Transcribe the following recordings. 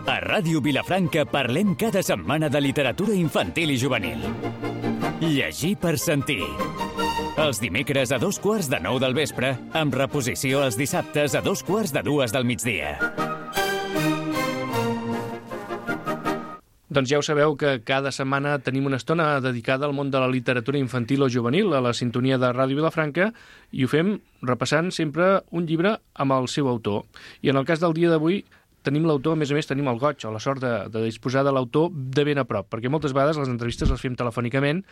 A Ràdio Vilafranca parlem cada setmana de literatura infantil i juvenil. Llegir per sentir. Els dimecres a 8:45 del vespre, amb reposició els dissabtes a 2:45 del migdia. Doncs ja ho sabeu que cada setmana tenim una estona dedicada al món de la literatura infantil o juvenil a la sintonia de Ràdio Vilafranca i ho fem repassant sempre un llibre amb el seu autor. I en el cas del dia d'avui tenim l'autor, a més tenim el goig o la sort de disposar de l'autor de ben a prop, perquè moltes vegades les entrevistes les fem telefònicament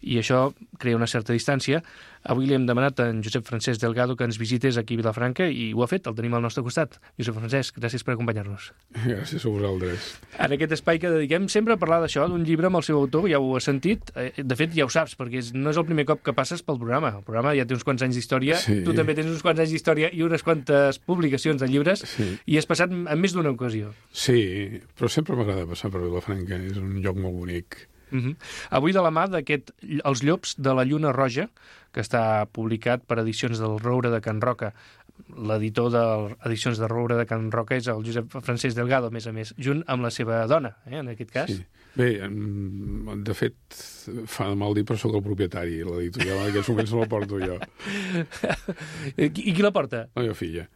i això crea una certa distància. Avui li hem demanat a en Josep Francesc Delgado que ens visités aquí a Vilafranca i ho ha fet, el tenim al nostre costat. Josep Francesc, gràcies per acompanyar-nos. Gràcies a vosaltres. En aquest espai que dediquem sempre a parlar d'això, d'un llibre amb el seu autor, ja ho has sentit, de fet ja ho saps, perquè no és el primer cop que passes pel programa. El programa ja té uns quants anys d'història, sí. Tu també tens uns quants anys d'història i unes quantes publicacions de llibres, sí. I has passat en més d'una ocasió. Sí, però sempre m'agrada passar per Vilafranca, és un lloc molt bonic. Avui de la mà d'aquest Els llops de la lluna roja, que està publicat per Edicions del Roure de Can Roca. L'editor d'Edicions del Roure de Can Roca és el Josep Francesc Delgado, a més, junt amb la seva dona, en aquest cas. Sí. Bé, de fet, fa de mal dir, però sóc el propietari. L'editorial en aquests moments no la porto jo. I qui la porta? La meva filla.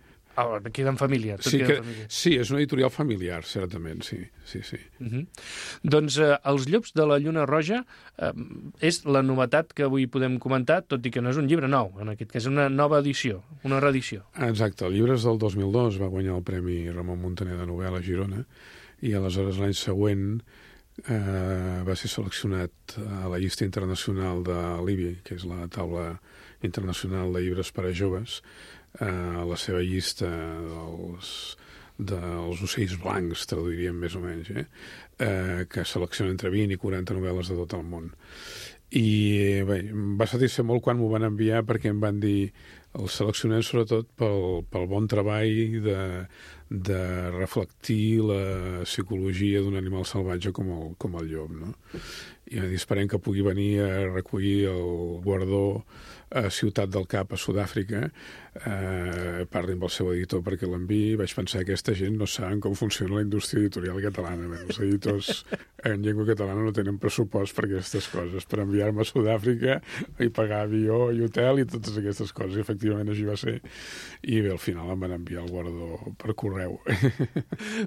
Queda en família. Sí, és una editorial familiar, certament, sí. Doncs Els llops de la lluna roja és la novetat que avui podem comentar, tot i que no és un llibre nou, en aquest cas és una nova edició, una reedició. Exacte, el llibre és del 2002, va guanyar el Premi Ramon Muntaner de novel·la a Girona, i aleshores l'any següent va ser seleccionat a la llista internacional de l'IBI, que és la taula internacional de llibres per a joves, la seva llista dels ocells blancs, traduiríem més o menys, que selecciona entre 20 i 40 novel·les de tot el món. I bé, em va satisfer molt quan m'ho van enviar perquè em van dir el seleccionem sobretot pel bon treball de reflectir la psicologia d'un animal salvatge com el llop, no? I van dir, esperem que pugui venir a recollir el guardó a Ciutat del Cap, a Sud-àfrica, parli amb el seu editor perquè l'enviï. Vaig pensar que aquesta gent no saben com funciona la indústria editorial catalana. Els editors en llengua catalana no tenen pressupost per aquestes coses, per enviar-me a Sud-àfrica i pagar avió i hotel i totes aquestes coses. I efectivament així va ser. I bé, al final em van enviar el guardó per correu.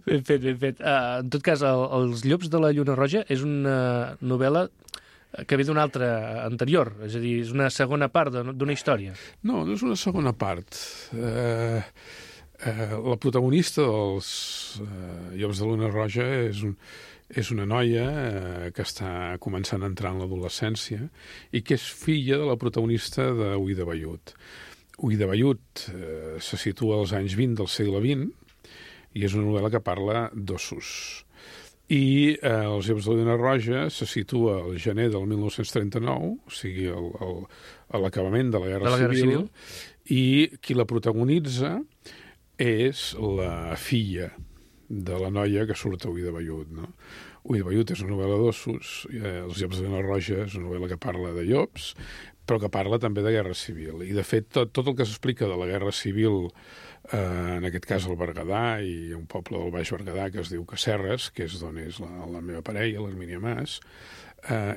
Ben fet, ben fet. En tot cas, Els llops de la lluna roja és una novel·la que ve d'una altra anterior, és a dir, és una segona part d'una història. No, no és una segona part. La protagonista dels Llops de la Lluna Roja és una noia que està començant a entrar en l'adolescència i que és filla de la protagonista d'Ull de Vellut. Ull de Vellut se situa als anys 20 del segle XX i és una novel·la que parla d'ossos. I Els Llops de la Lluna Roja se situa al gener del 1939, o sigui, a l'acabament de la Guerra Civil, i qui la protagonitza és la filla de la noia que surt a Ull de Vellut, no? Ull de Vellut és una novel·la d'ossos, Els Llops de la Lluna Roja és una novel·la que parla de llops, però que parla també de Guerra Civil. I, de fet, tot el que s'explica de la Guerra Civil, en aquest cas el Berguedà i un poble del Baix Berguedà que es diu Casserres, que és d'on és la meva parella, l'Hermínia Mas,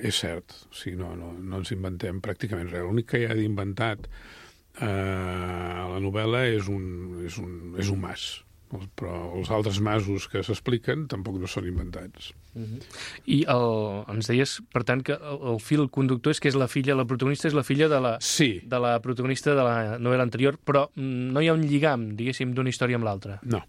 és cert. O sigui, no ens inventem pràcticament res. L'únic que hi ha d'inventat a la novel·la és un mas. Però els altres masos que s'expliquen tampoc no són inventats. I ens deies, per tant, que el fil conductor és que és la filla, la protagonista és la filla de la protagonista de la novel·la anterior, però no hi ha un lligam, diguéssim, d'una història amb l'altra. No.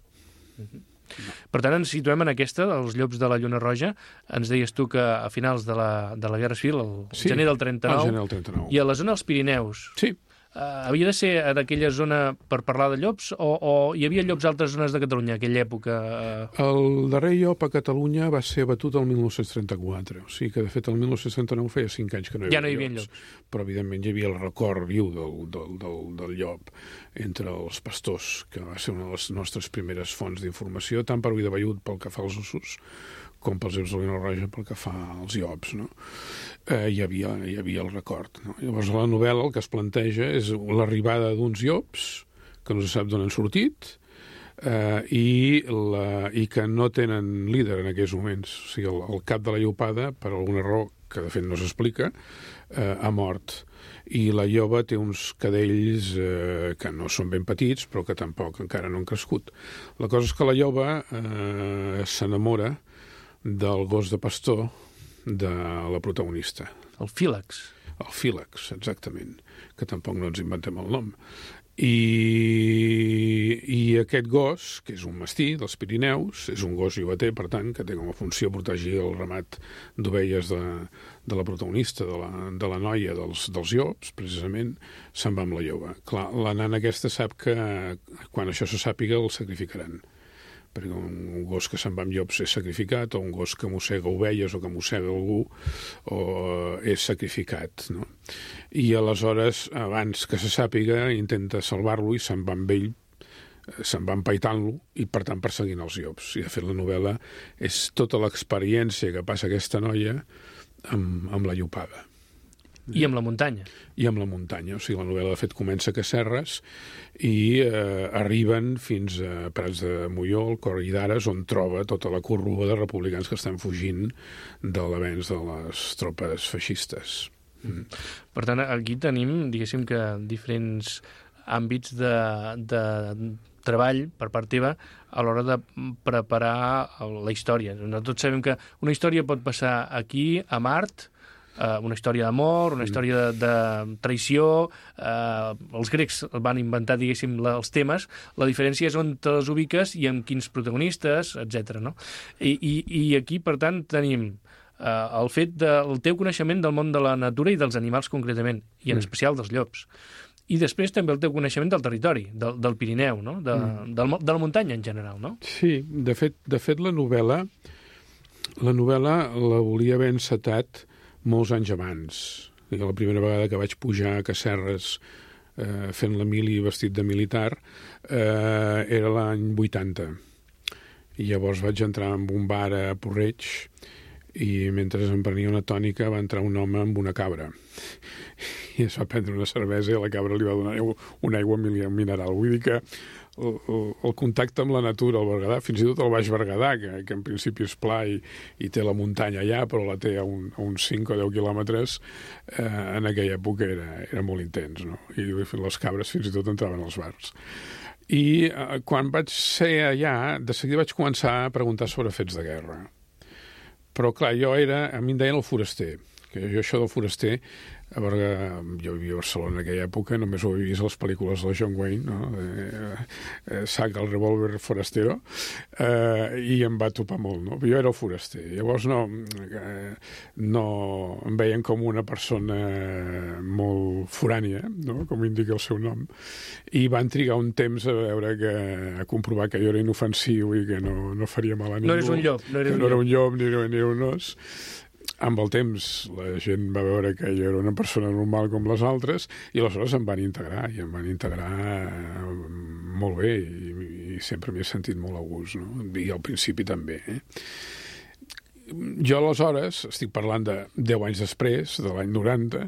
Per tant, ens situem en aquesta, Els Llops de la Lluna Roja. Ens deies tu que a finals de la Guerra Civil, gener del 39, i a la zona dels Pirineus. Sí. Havia de ser en aquella zona per parlar de llops o hi havia llops a altres zones de Catalunya en aquella època? El darrer llop a Catalunya va ser abatut el 1934. O sigui que, de fet, el 1939 feia 5 anys que no hi havia llops. Però, evidentment, hi havia el record viu del llop entre els pastors, que va ser una de les nostres primeres fonts d'informació, tant per Ull de Vellut pel que fa als ossos, com pels Llops de la Lluna Roja pel que fa als llops, no? Hi havia el record, no? Llavors, la novel·la el que es planteja és l'arribada d'uns llops, que no se sap d'on han sortit, i que no tenen líder en aquells moments. O sigui, el cap de la Llopada, per alguna raó que de fet no s'explica, ha mort. I la lloba té uns cadells que no són ben petits, però que tampoc encara no han crescut. La cosa és que la lloba s'enamora del gos de pastor de la protagonista. El Fílax. El Fílax, exactament, que tampoc no ens inventem el nom. I aquest gos, que és un mastí dels Pirineus, és un gos llobater, per tant, que té com a funció protegir el ramat d'ovelles de la protagonista, de la noia dels llops, precisament, se'n va amb la lloba. Clar, la nana aquesta sap que quan això se sàpiga el sacrificaran, perquè un gos que se'n va amb llops és sacrificat, o un gos que mossega ovelles o que mossega algú és sacrificat, no? I aleshores, abans que se sàpiga, intenta salvar-lo i se'n va amb ell, se'n va empaitant-lo i, per tant, perseguint els llops. I, de fet, la novel·la és tota l'experiència que passa aquesta noia amb la llopada. I amb la muntanya. I amb la muntanya. O sigui, la novel·la, de fet, comença a Casserres i arriben fins a Prats de Molló, al Coll d'Ares, on troba tota la corrua de republicans que estan fugint de l'avenç de les tropes feixistes. Per tant, aquí tenim, diguéssim, que diferents àmbits de treball per part teva a l'hora de preparar la història. Tots sabem que una història pot passar aquí, a Mart, una història d'amor, una història de traïció. Els grecs van inventar, diguéssim, els temes. La diferència és on te les ubiques i amb quins protagonistes, etc. No? I aquí, per tant, tenim el fet del teu coneixement del món de la natura i dels animals concretament, i en especial dels llops. I després també el teu coneixement del territori, del Pirineu, no? de la muntanya en general, no? Sí, de fet la novel·la la volia haver encetat molts anys abans. La primera vegada que vaig pujar a Casserres fent la mili vestit de militar era l'any 80. I llavors vaig entrar en un bar a Porreig i mentre em prenia una tònica va entrar un home amb una cabra i es va prendre una cervesa i a la cabra li va donar una aigua mineral. Vull dir que el contacte amb la natura al Berguedà, fins i tot el Baix Berguedà, que en principi és pla i té la muntanya allà, però la té a uns 5 o 10 quilòmetres, en aquella època era molt intens, no? I les cabres fins i tot entraven als bars. I quan vaig ser allà, de seguida vaig començar a preguntar sobre fets de guerra. Però, clar, a mi em deien el foraster, que jo això del foraster, jo vivia a Barcelona en aquella època, només ho havia vist a les pel·lícules de John Wayne, no? Saca el revòlver forastero, i em va topar molt, no? Jo era el foraster. Llavors no em veien com una persona molt forània, no? Com indica el seu nom, i van trigar un temps a comprovar que jo era inofensiu i que no faria mal a ningú. No eres un llop. No era un llop ni era un os. Amb el temps la gent va veure que jo era una persona normal com les altres i aleshores em van integrar molt bé i sempre m'hi he sentit molt a gust, no? I al principi també. Jo aleshores, estic parlant de 10 anys després, de l'any 90,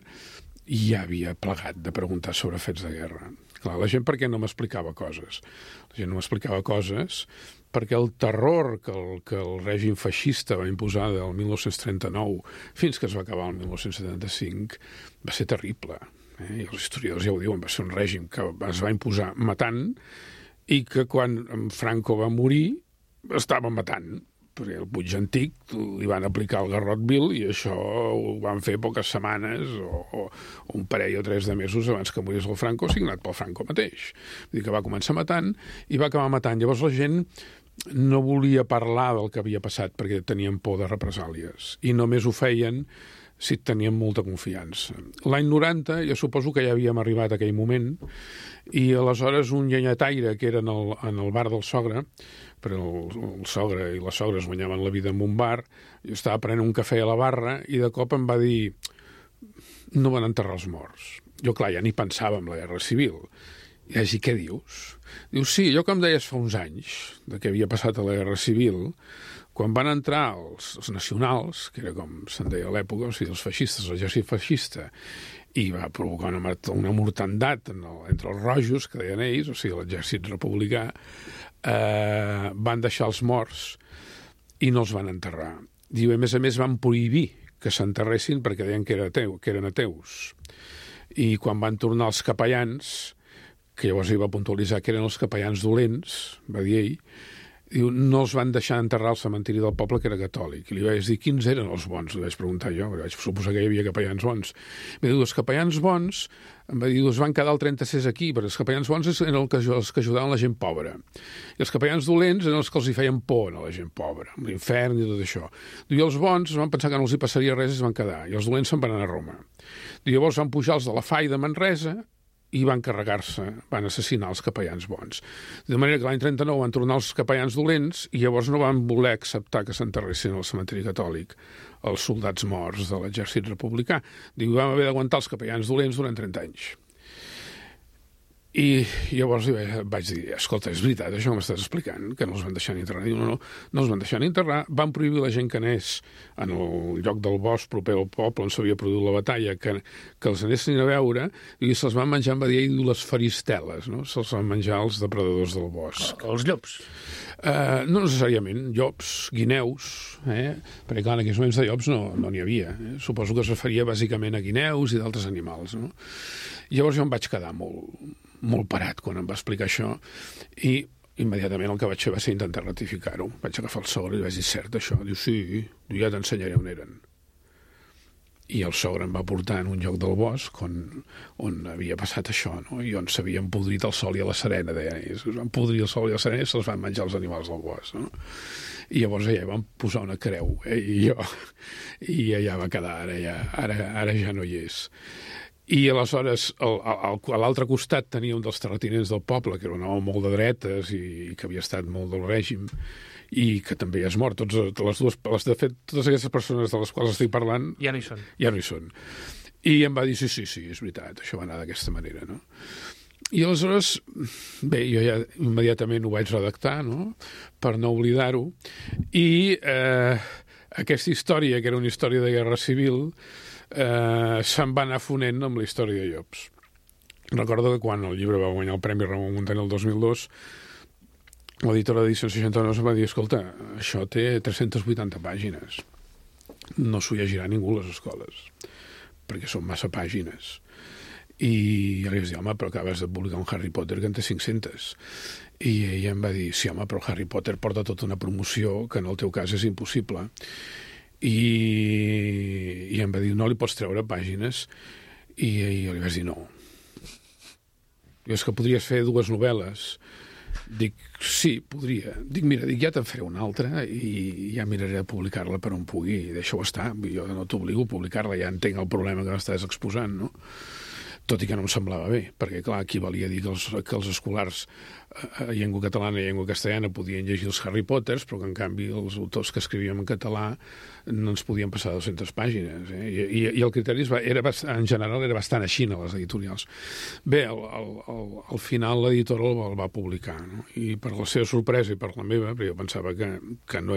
i ja havia plegat de preguntar sobre fets de guerra. Clar, la gent per què no m'explicava coses? La gent no m'explicava coses perquè el terror que el règim feixista va imposar del 1939 fins que es va acabar el 1975 va ser terrible. I els historiadors ja ho diuen, va ser un règim que es va imposar matant i que quan Franco va morir estava matant, perquè el Puig Antic li van aplicar el garrot vil i això ho van fer poques setmanes o un parell o 3 de mesos abans que morís el Franco, signat pel Franco mateix. Vull dir que va començar matant i va acabar matant. Llavors la gent no volia parlar del que havia passat perquè tenien por de represàlies i només ho feien si tenien molta confiança. L'any 90 jo suposo que ja havíem arribat a aquell moment i aleshores un llenyataire que era en el bar del sogre, perquè el sogre i la sogra es guanyaven la vida en un bar, jo estava prenent un cafè a la barra i de cop em va dir no van enterrar els morts. Jo, clar, ja ni pensava en la guerra civil. I vaig dir, què dius? Diu, sí, allò que em deies fa uns anys, de què havia passat a la guerra civil, quan van entrar els nacionals, que era com se'n deia a l'època, o sigui, els feixistes, l'exèrcit feixista, i va provocar una mortandat entre els rojos, que deien ells, o sigui, l'exèrcit republicà, van deixar els morts i no els van enterrar. Diu, a més van prohibir que s'enterressin perquè deien que eren ateus. I quan van tornar els capellans, que llavors ell va puntualitzar que eren els capellans dolents, va dir ell, diu, no els van deixar enterrar al cementiri del poble, que era catòlic. I li vaig dir, quins eren els bons? Li vaig preguntar jo, vaig suposar que hi havia capellans bons. Em va dir, els capellans bons, em va dir, es van quedar el 36 aquí, perquè els capellans bons eren els que ajudaven la gent pobra. I els capellans dolents eren els que els hi feien por a la gent pobra, amb l'infern i tot això. I els bons van pensar que no els hi passaria res i es van quedar. I els dolents se'n van anar a Roma. I llavors van pujar els de la FAI de Manresa i van carregar-se, van assassinar els capellans bons. De manera que l'any 39 van tornar els capellans dolents i llavors no van voler acceptar que s'enterressin al cementiri catòlic els soldats morts de l'exèrcit republicà. Diu, vam haver d'aguantar els capellans dolents durant 30 anys. I llavors vaig dir, escolta, és veritat això que m'estàs explicant, que no els van deixar ni enterrar. Diu, no els van deixar ni enterrar, van prohibir la gent que anés en el lloc del bosc proper al poble on s'havia produït la batalla, que els anessin a veure, i se'ls van menjar, em va dir ell, les faristeles, no? Se'ls van menjar els depredadors del bosc. Els llops? No necessàriament, llops, guineus, perquè clar, en aquells moments de llops no n'hi havia. Suposo que es referia bàsicament a guineus i d'altres animals, no? Llavors jo em vaig quedar molt parat quan em va explicar això i immediatament el que vaig fer va ser intentar ratificar-ho. Vaig agafar el sogre i vaig dir, cert això? Diu, sí, ja t'ensenyaré on eren. I el sogre em va portar en un lloc del bosc on havia passat això, no? I on s'havien podrit el sol i a la serena, deien ells. Es van podrir el sol i la serena i se'ls van menjar els animals del bosc, no? I llavors allà van posar una creu, i allà va quedar, ara ja no hi és. I aleshores, a l'altre costat tenia un dels terratinents del poble, que era un home molt de dretes i que havia estat molt del règim, i que també és mort. De fet, totes aquestes persones de les quals estic parlant... Ja no hi són. Ja no hi són. I em va dir, sí, és veritat, això va anar d'aquesta manera, no? I aleshores, bé, jo ja immediatament ho vaig redactar, no?, per no oblidar-ho, i aquesta història, que era una història de guerra civil, se'n va anar fonent amb la història de llops. Recordo que quan el llibre va guanyar el Premi Ramon Muntaner el 2002, l'editora d'Edició 69 em va dir, escolta, això té 380 pàgines. No s'ho llegirà ningú a les escoles, perquè són massa pàgines. I jo li vaig dir, home, però acabes de publicar un Harry Potter que en té 500. I ella em va dir, sí, home, però Harry Potter porta tota una promoció que en el teu cas és impossible. I em va dir, no li pots treure pàgines? I jo li vaig dir, no. És que podries fer 2 novel·les. Dic, sí, podria. Dic, mira, ja te'n faré una altra i ja miraré de publicar-la per on pugui. Deixa-ho estar, jo no t'obligo a publicar-la, ja entenc el problema que m'estàs exposant, no? Tot i que no em semblava bé, perquè, clar, aquí valia dir que els escolars a llengua catalana i llengua castellana podien llegir els Harry Potters, però que, en canvi, els autors que escrivíem en català no ens podien passar 200 pàgines. I el criteri en general era bastant així a les editorials. Bé, al final l'editora el va publicar, no? I per la seva sorpresa i per la meva, perquè jo pensava que no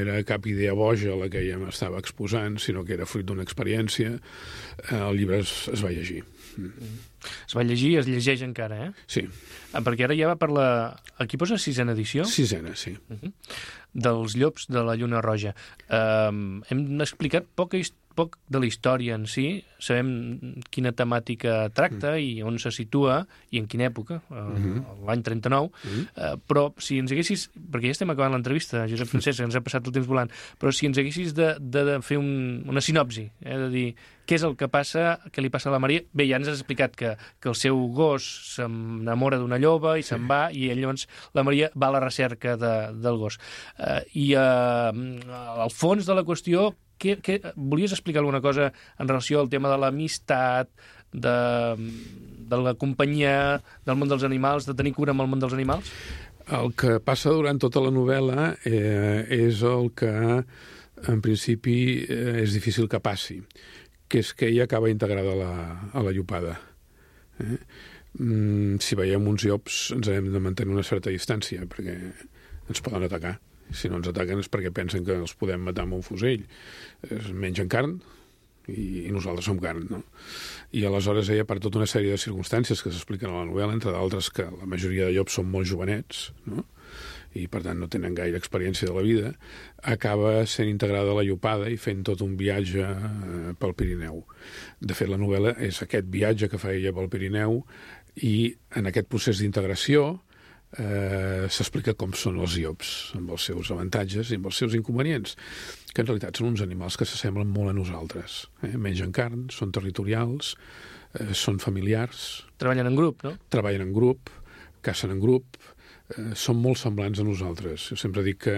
era cap idea boja la que ella m'estava exposant, sinó que era fruit d'una experiència, el llibre es va llegir. Es va llegir i es llegeix encara, eh? Sí. Perquè ara ja va per la... Aquí posa 6ª edició? 6ª, sí. Dels llops de la Lluna Roja. Hem explicat poc de la història en si, sabem quina temàtica tracta i on se situa i en quina època, l'any 39, però si ens haguessis, perquè ja estem acabant l'entrevista, Josep Francesc, ens ha passat el temps volant, però si ens haguessis de fer una sinopsi, de dir què és el que passa, què li passa a la Maria. Bé, ja ens has explicat que el seu gos s'enamora d'una lloba i se'n va, i llavors la Maria va a la recerca del gos. I al fons de la qüestió, volies explicar alguna cosa en relació al tema de l'amistat, de la companyia, del món dels animals, de tenir cura amb el món dels animals? El que passa durant tota la novel·la és el que, en principi, és difícil que passi, que és que ella acaba integrada a la llopada. Si veiem uns llops ens hem de mantenir una certa distància, perquè ens poden atacar. Si no ens ataquen és perquè pensen que els podem matar amb un fusell. Es mengen carn, i nosaltres som carn, no? I aleshores ella, per tota una sèrie de circumstàncies que s'expliquen a la novel·la, entre d'altres que la majoria de llops són molt jovenets, no? I per tant no tenen gaire experiència de la vida, acaba sent integrada a la llopada i fent tot un viatge pel Pirineu. De fet, la novel·la és aquest viatge que fa ella pel Pirineu i en aquest procés d'integració s'explica com són els llops, amb els seus avantatges i amb els seus inconvenients, que en realitat són uns animals que s'assemblen molt a nosaltres. Mengen carn, són territorials, són familiars. Treballen en grup, no? Treballen en grup, cacen en grup, són molt semblants a nosaltres. Jo sempre dic que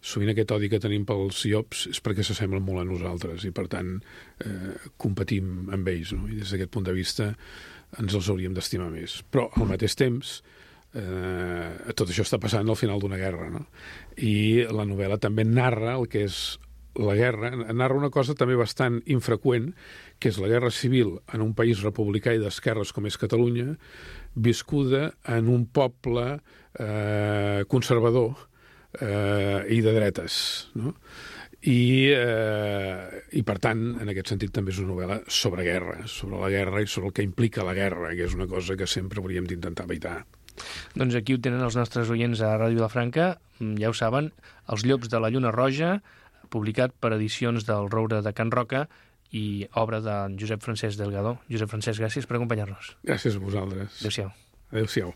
sovint aquest odi que tenim pels llops és perquè s'assemblen molt a nosaltres i, per tant, competim amb ells, no? I des d'aquest punt de vista ens els hauríem d'estimar més. Però, al mateix temps, tot això està passant al final d'una guerra, no? I la novel·la també narra el que és la guerra, narra una cosa també bastant infreqüent, que és la guerra civil en un país republicà i d'esquerres com és Catalunya, viscuda en un poble conservador i de dretes, no? I per tant, en aquest sentit, també és una novel·la sobre guerra, sobre la guerra i sobre el que implica la guerra, que és una cosa que sempre hauríem d'intentar evitar. Doncs aquí ho tenen els nostres oients a Ràdio Vilafranca, ja ho saben, Els llops de la Lluna Roja, publicat per edicions del Roure de Can Roca i obra de Josep Francesc Delgado. Josep Francesc, gràcies per acompanyar-nos. Gràcies a vosaltres. Adéu-siau. Adéu-siau.